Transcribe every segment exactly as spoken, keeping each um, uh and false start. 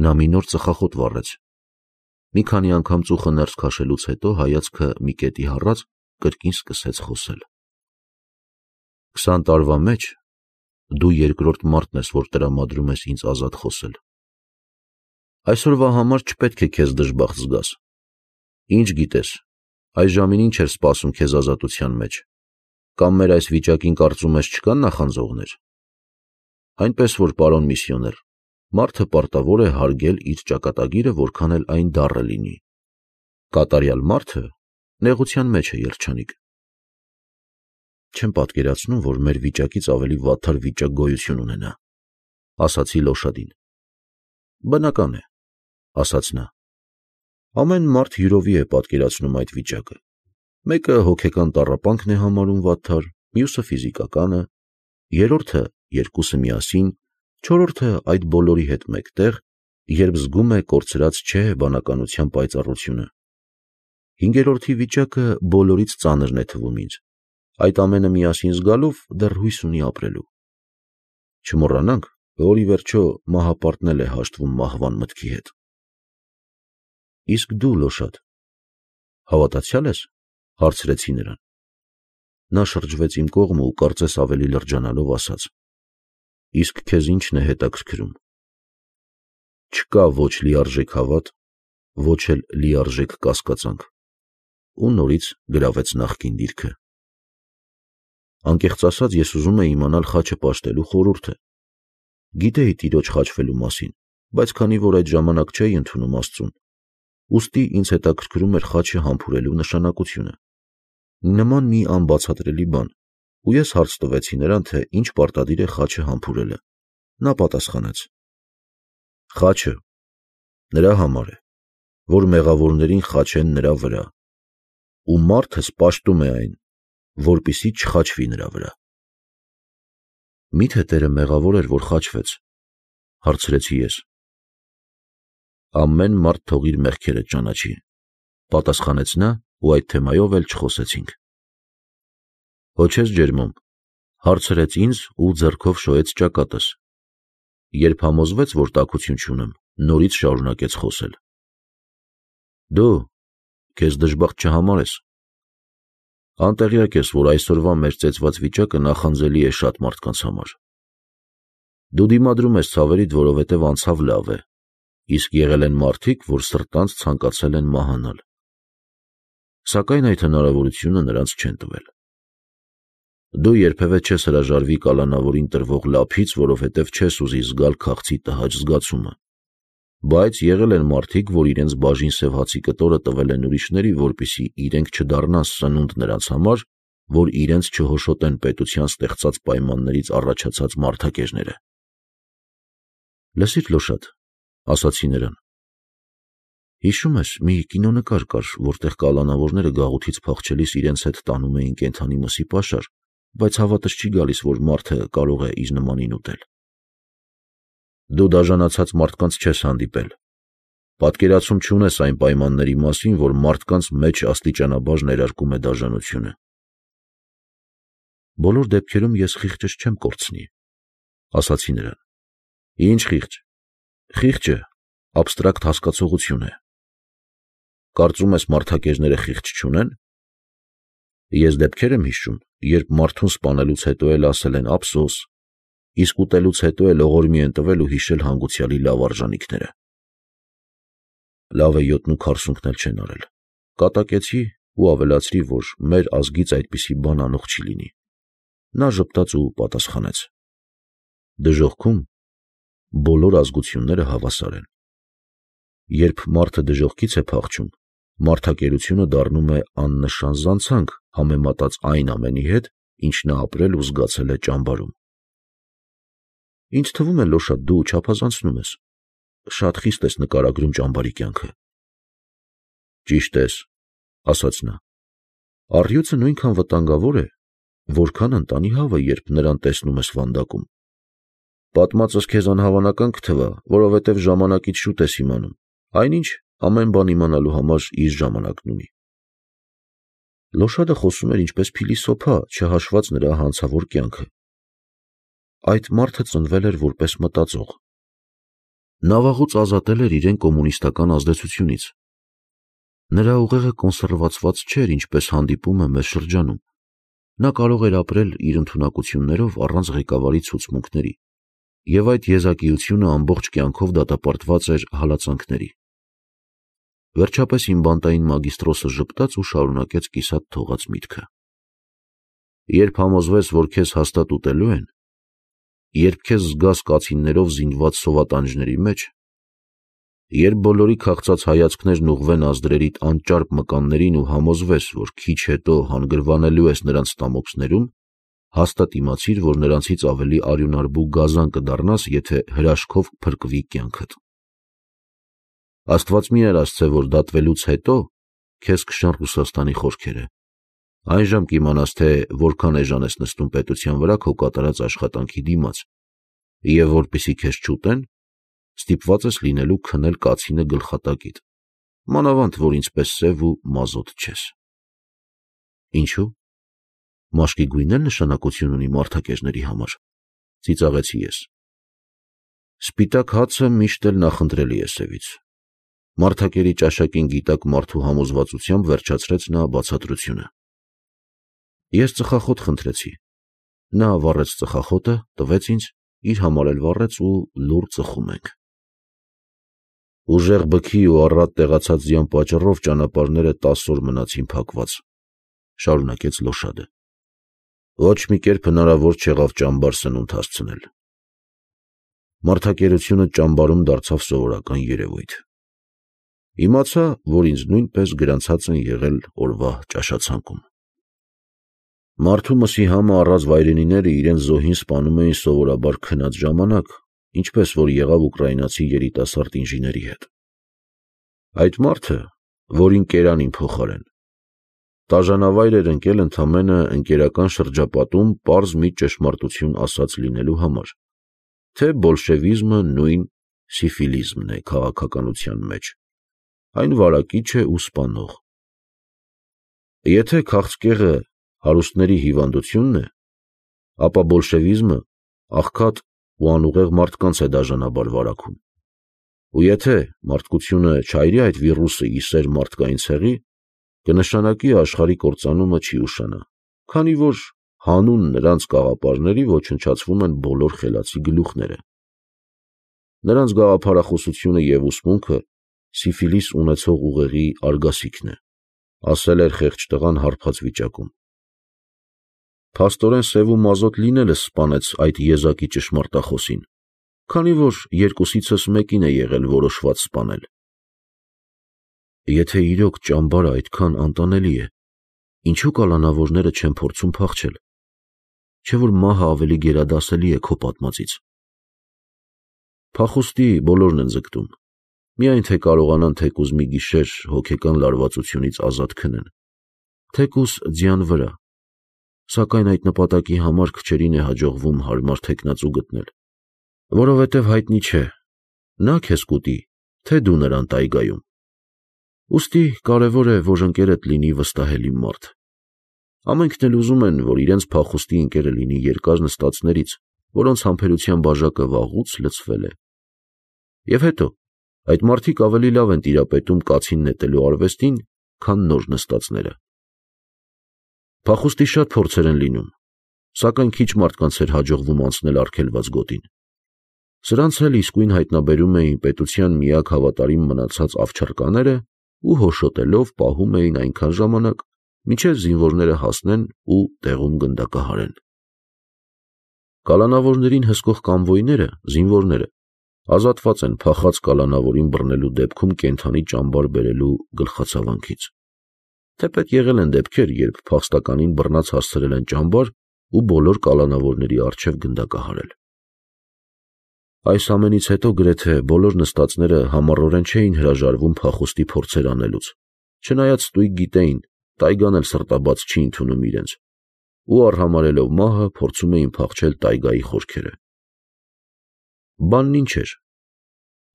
Նա մի նոր ծխախոտ վառեց։ Մի քանի անգամ ծուխը ներս քաշելուց հետո հայացքը մի կետի հառած կրկին սկսեց խոսել։ Քսան տարվա մեջ դու երկրորդ մարդն ես, որ տրամադրում ես ինձ ազատ խոսել։ Այսօրվա համար չպետք է քեզ դժբախտ զգաս։ Ինչ գիտես, այս ժամին ինչ էր սպասում քեզ ազատության մեջ, կամ մեր այս վիճակին կարծում ես չկան նախանձողներ։ Այնպես որ, պարոն միսիոներ, մարդը պարտավոր է հարգել իր ճակատագիրը, որքան էլ այն դառը լինի։ Կատարյալ մարդը նեղության մեջ է երջանիկ։ Չեմ պատկերացնում, որ մեր վիճակից ավելի վատթար վիճակ գոյություն ունենա, ասացի Լոշադին։ Բնական է, ասաց նա։ Ամեն մարդ յուրովի է պատկերացնում այդ վիճակը։ Մեկը հոգեկան տառապանքն է համարում վատթար, մյուսը ֆիզիկականը, երրորդը երկուսը միասին, չորրորդը այդ բոլորի հետ մեկտեղ, երբ զգում է կորցրած չէ բանականության պայծառությունը։ Հինգերորդի վիճակը բոլորից ծանրն է թվում ինձ։ Այդ ամենը միասին զգալով դեռ հույս ունի ապրելու։ Չմոռանանք, որ ի վերջո մահապարտն էլ է հաշտվում մահվան մտքի հետ։ Իսկ դու, Լոշադ, հավատացյալ ես, հարցրեցի նրան։ Նա շրջվեց իմ կողմը ու կարծես ավելի լրջանալով ասաց. Իսկ քեզ ի՞նչն է հետաքրքրում։ Չկա ոչ լիարժեք հավատ, ոչ էլ լիարժեք կասկածանք։ Ու նորից գրավեց նախկին դիրքը։ Անկեղծ ասած, ես ուզում էի իմանալ խաչը պաշտելու խորհուրդը։ Գիտեի տիրոջ խաչվելու մասին, բայց քանի որ այդ ժամանակ չէի ընդունում Աստծուն, ուստի ինձ հետաքրքրում էր խաչը համբուրելու նշանակությունը։ Նման մի անբացատրելի բան, ու ես հարց տվեցի նրան, թե ինչ պարտադիր է խաչը համբուրելը։ Նա պատասխանեց. Խաչը նրա համար է, որ մեղավորներին խաչեն նրա վրա, ու մարդը պաշտում է այն, որպեսզի չխաչվի նրա վրա։ Միթե Տերը մեղավոր էր, որ խաչվեց, հարցրեցի ես։ Ամեն մարդ թող իր մեղքերը ճանաչի, պատասխանեց նա, ու այդ թեմայով էլ չխոսեցինք։ Հո չես ջերմում, հարցրեց ինձ ու ձեռքով շոյեց ճակատս։ Երբ համոզվեց, որ տաքություն չունեմ, նորից շարունակեց խոսել։ Դու քեզ դժբախտ չհամարես։ Անտեղյակ ես, որ այսօրվա մեր ծեծված վիճակը նախանձելի է շատ մարդկանց համար։ Դու դիմադրում ես ցավերիդ, որովհետև անցավ լավ է, իսկ եղել են մարդիկ, որ սրտանց ցանկացել են մահանալ։ Սակայն այդ հնարավորությունը նրանց չեն տվել։ Դու երբևէ չես հրաժարվի կալանավորին տրվող լափից, որովհետև չես ուզի զգալ քաղցի տհաճ զգացումը։ Բայց եղել են մարդիկ, որ իրենց բաժին սև հացի կտորը տվել են ուրիշների, որպեսզի իրենք չդառնան սնունդ նրանց համար, որ իրենց չհոշոտեն պետության ստեղծած պայմաններից առաջացած մարդակերները։ Լսիր, Լոշադ, ասացի նրան։ Հիշում ես, մի կինոնկար կար, որտեղ կալանավորները գաղութից փախչելիս իրենց հետ տանում էին կենդանի մսի պաշար, բայց հավատս չի գալիս, որ մարդը կարող է իր նմանին ուտել։ Դու դաժանացած մարդկանց չես հանդիպել։ Պատկերացում չունես այն պայմանների մասին, որ մարդկանց մեջ աստիճանաբար ներարկում է դաժանությունը։ Բոլոր դեպքերում ես խիղճս չեմ կորցնի, ասացի նրան։ Ինչ խիղճ։ Խիղճը աբստրակտ հասկացողություն է։ Կարծում ես մարդակերները խիղճ չունեն։ Ես դեպքեր եմ հիշում, երբ մարդուն սպանելուց հետո էլ ասել են ափսոս, իսկ ուտելուց հետո էլ ողորմի են տվել ու հիշել հանգուցյալի լավ արժանիքները։ Լավ է յոթն ու քառսունքն էլ չեն արել։ Կատակեցի ու ավելացրի, որ մեր ազգից այդպիսի բան անող չի լինի։ Նա ժպտաց ու պատասխանեց. Դժոխքում բոլոր ազգությունները հավասար են։ Երբ մարդը դժոխքից է փախչում, մարդակերությունը դառնում է աննշան զանցանք համեմատած այն ամենի հետ, ինչ նա ապրել ու զգացել է ճամբարում։ Ինձ թվում է, Լոշադ, դու չափազանցնում ես։ Շատ խիստ ես նկարագրում ճամբարի կյանքը։ Ճիշտ ես, ասաց նա։ Առյուծը նույնքան վտանգավոր է, որքան ընտանի հավը, երբ նրան տեսնում ես վանդակում։ Պատմածս քեզ անհավանական կթվա, որովհետև ժամանակից շուտ ես իմանում, այնինչ ամեն բան իմանալու համար իր ժամանակն ունի։ Լոշադը խոսում էր ինչպես փիլիսոփա, չհաշված նրա հանցավոր կյանքը։ Այդ մարդը ծնվել էր որպես մտածող։ Նա վաղուց ազատել էր իրեն կոմունիստական ազդեցությունից։ Նրա ուղեղը կոնսերվացված չէր, ինչպես հանդիպում է մեր շրջանում։ Նա կարող էր ապրել իր ընդունակություններով առանց ղեկավարի ցուցմունքների, և այդ եզակիությունը ամբողջ կյանքով դատապարտված էր հալածանքների։ Վերջապես իմ բանտային մագիստրոսը ժպտաց ու շարունակեց կիսատ թողած միտքը. երբ համոզվես, որ քեզ հաստատ ուտելու են, երբ քեզ զգաս կացիններով զինված սովատանջների մեջ, երբ բոլորի քաղցած հայացքներն ուղղվեն ազդրերիդ անճարպ մկաններին ու համոզվես, որ քիչ հետո հանգրվանելու ես նրանց ստամոքսներում, հաստատ իմացիր, որ նրանցից ավելի արյունարբու գազան կդառնաս, եթե հրաշքով կփրկվի կյանքդ։ Աստված մի արասցե, որ դատվելուց հետո քեզ կշան Ռուսաստանի խորքերը, այնժամ կիմանաս, թե որքան էժան ես նստում պետության վրա քո կատարած աշխատանքի դիմաց, և որպեսզի քեզ չուտեն, ստիպված ես լինելու քնել կացինը գլխատակիդ, մանավանդ որ ինձպես սև ու մազոտ չես։ Ինչու՞։ Մաշկի գույնն էլ նշանակություն ունի մարդակերների համար, ծիծաղեցի ես։ Սպիտակ հացը միշտ էլ նախընտրելի է սևից։ Մարդակերի ճաշակին գիտակ մարդու համոզվածությամբ վերջացրեց նա բացատրությունը։ Ես ծխախոտ խնդրեցի։ Նա վառեց ծխախոտը, տվեց ինձ, իր համար էլ վառեց ու լուռ ծխում ենք։ Ուժեղ բքի ու առատ տեղացած ձյան պատճառով ճանապարհները տասը օր մնացին փակված, շարունակեց Լոշադը։ Ոչ մի կերպ հնարավոր չեղավ ճամբար սնունդ հասցնել։ Մարդակերությունը ճամբարում դարձավ սովորական երևույթ։ Իմացա, որ ինձ նույնպես գրանցած են եղել օրվա ճաշացանկում։ Մարդու մսի համը առած վայրենիները իրենց զոհին սպանում էին սովորաբար քնած ժամանակ, ինչպես որ եղավ ուկրաինացի երիտասարդ ինժեների հետ։ Այդ մարդը, որին կերանին փոխարեն, տաժանավայր էր ընկել ընդամենը ընկերական շրջապատում պարզ մի ճշմարտություն ասած լինելու համար, թե բոլշևիզմը նույն սիֆիլիզմն է քաղաքականության մեջ, այն վարակիչ է ու սպանող։ Եթե քաղցկեղը հարուստների հիվանդությունն է, ապա բոլշևիզմը աղքատ ու անուղեղ մարդկանց է դաժանաբար վարակում։ Ու եթե մարդկությունը չայրի այդ վիրուսը ի սեր մարդկային ցեղի, կնշանակի աշխարհի կործանումը չի ուշանա, քանի որ հանուն նրանց գաղափարների ոչնչացվում են բոլոր խելացի գլուխները։ Նրանց գաղափարախոսությունը և ուսմունքը սիֆիլիս ունեցող ուղեղի արգասիքն է, ասել էր խեղճ տղան հարբած վիճակում։ Փաստորեն սև ու մազոտ լինելը սպանեց այդ եզակի ճշմարտախոսին, քանի որ երկուսիցս մեկին է եղել որոշված սպանել։ Եթե իրոք ճամբարը այդքան անտանելի է, ինչու կալանավորները չեն փորձում փախչել, չէ՞ որ մահը ավելի գերադասելի է քո պատմածից։ Փախուստի բոլորն են ձգտում, միայն թե կարողանան թեկուզ մի գիշեր հոգեկան լարվածությունից ազատ քնեն, թեկուզ ձյան վրա, սակայն այդ նպատակի համար քչերին է հաջողվում հարմար թեկնածու գտնել, որովհետև հայտնի չէ, նա քեզ կուտի, թե դու նրան տայգայում։ Ուստի կարևոր է, որ ընկերդ լինի վստահելի մարդ։ Ամենքն էլ ուզում են, որ իրենց փախուստի ընկերը լինի երկար նստածներից, որոնց համբերության բաժակը վաղուց լցվել է։ Եվ հետո, այդ մարդիկ ավելի լավ են տիրապետում կացին նետելու արվեստին, քան նոր նստածները։ Փախուստի շատ փորձեր են լինում, սակայն քիչ մարդկանց էր հաջողվում անցնել արգելված գոտին։ Սրանց էլ իսկույն հայտնաբերում էին պետության միակ հավատարիմ մնացած ավչարկաները ու հոշոտելով պահում էին այնքան ժամանակ, մինչև զինվորները հասնեն ու տեղում գնդակահարեն։ Կալանավորներին հսկող կամվոյները, զինվորները, ազատված են փախած կալանավորին բռնելու դեպքում կենդանի ճամբար բերելու գլխացավանքից։ Թեպետ եղել են դեպքեր, երբ փախստականին բռնած հասցրել են ճամբար ու բոլոր կալանավորների առջև գնդակահարել։ Այս ամենից հետո գրեթե բոլոր նստածները համառորեն չէին հրաժարվում փախուստի փորձեր անելուց, չնայած ստույգ գիտեին, տայգան էլ սրտաբաց չի ընդունում իրենց, ու արհամարհելով մահը փորձում էին փախչել տայգայի խորքերը։ Բանն ինչ էր։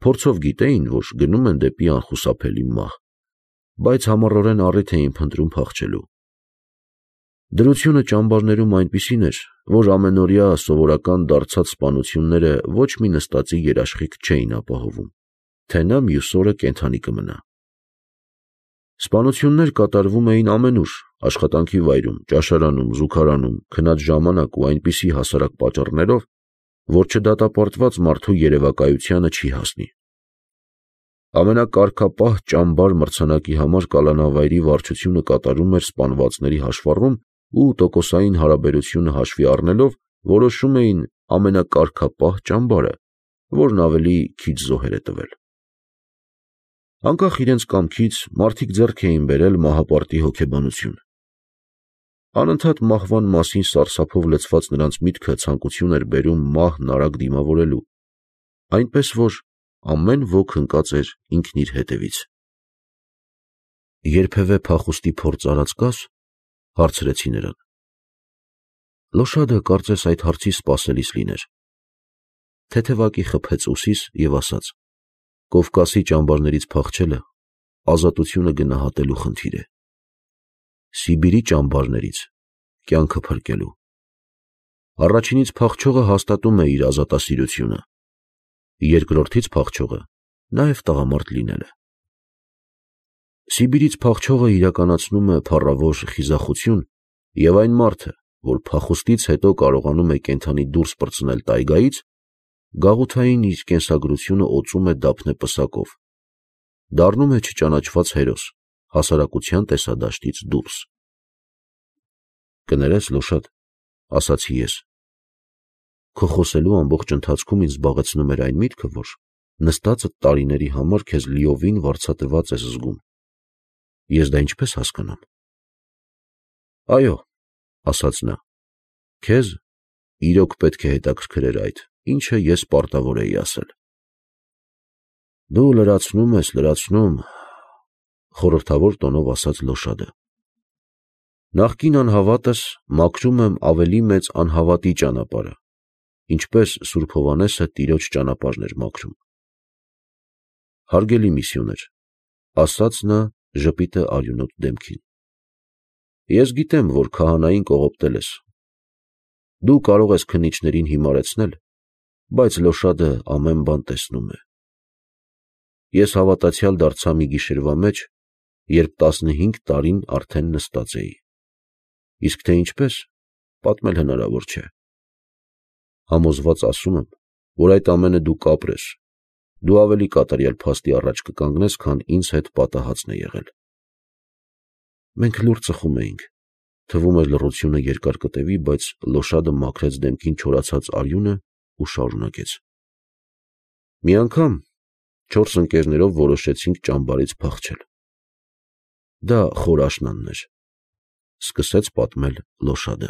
Փորձով գիտեին, որ գնում են դեպի անխուսափելի մահ, բայց համառորեն առիթ էին փնտրում փախչելու։ Դրությունը ճամբարներում այնպիսին էր, որ ամենօրյա սովորական դարձած սպանությունները ոչ մի նստածի երաշխիք չէին ապահովում, թե նա մյուս օրը կենդանի կմնա։ Սպանություններ կատարվում էին ամենուր, աշխատանքի վայրում, ճաշարանում, զուգարանում, քնած ժամանակ ու այնպիսի հասարակ պատճառներով, որ չդատապարտված մարդու երևակայությանը չի հասնի։ Ամենակարգապահ ճամբար մրցանակի համար կալանավայրի վարչությունը կատարում էր սպանվածների հաշվառում ու տոկոսային հարաբերությունը հաշվի առնելով որոշում էին ամենակարգապահ ճամբարը, որն ավելի քիչ զոհեր է տվել։ Անկախ իրենց կամքից մարդիկ ձեռք էին բերել մահապարտի հոգեբանություն։ Անընդհատ մահվան մասին սարսափով լցված նրանց միտքը ցանկություն էր բերում մահն արագ դիմավորելու, այնպես որ ամեն ոք ընկած էր ինքն իր հետևից։ Երբևէ փախուստի փորձ արած կաս, հարցրեցի նրան։ Լոշադը կարծես այդ հարցի սպասելիս լիներ։ Թեթևակի խփեց ուսիս և ասաց. Կովկասի ճամբարներից փախչելը ազատությունը գնահատելու խնդիր է։ Սիբիրի ճամբարներից կյանքը փրկելու։ Առաջինից փախչողը հաստատում է իր ազատասիրությունը, երկրորդից փախչողը նաև տղամարդ լինելը։ Սիբիրից փախչողը իրականացնում է փառավոր խիզախություն և այն մարդը, որ փախուստից հետո կարողանում է կենդանի դուրս պրծնել տայգայից, գաղութային իր կենսագրությունը օծում է դափնե պսակով, դառնում է չճանաչված հերոս, հասարակության տեսադաշտից դուրս։ Կներես, Լոշադ, ասացի ես, քո խոսելու ամբողջ ընթացքում ինձ զբաղեցնում էր այն միտքը, որ նստածդ տարիների համար քեզ լիովին վարձատրված ես զգում։ Ես դա ինչպես հասկանամ։ Այո, ասաց նա, քեզ իրոք պետք է հետաքրքրեր այդ, ինչը ես պարտավոր էի ասել։ Դու լրացնում ես, լրացնում, խորհրդավոր տոնով ասաց Լոշադը։ Նախկին անհավատս մաքրում եմ ավելի մեծ անհավատի ճանապարհը, ինչպես Սուրբ Հովհաննեսը տիրոջ ճանապարհն էր մաքրում։ Հարգելի միսիոներ, ասաց նա ժպիտը արյունոտ դեմքին։ Ես գիտեմ, որ քահանային կողոպտել ես։ Դու կարող ես քննիչներին հիմարեցնել, բայց Լոշադը ամեն բան տեսնում է։ Ես հավատացյալ դարձա մի գիշերվա մեջ, երբ տասնհինգ տարին արդեն նստած էի։ Իսկ թե ինչպես, պատմել հնարավոր չէ։ Համոզված ասում եմ, որ այդ ամենը դու կապրես, դու ավելի կատարյալ փաստի առաջ կկանգնես, քան ինձ հետ պատահածն է եղել։ Մենք լուռ ծխում էինք, թվում էր լռությունը երկար կտևի, բայց Լոշադը մաքրեց դեմքին չորացած արյունը ու շարունակեց. Մի անգամ չորս ընկերներով որոշեցինք ճամբարից փախչել։ Դա խոր աշնանն էր, սկսեց պատմել Լոշադը։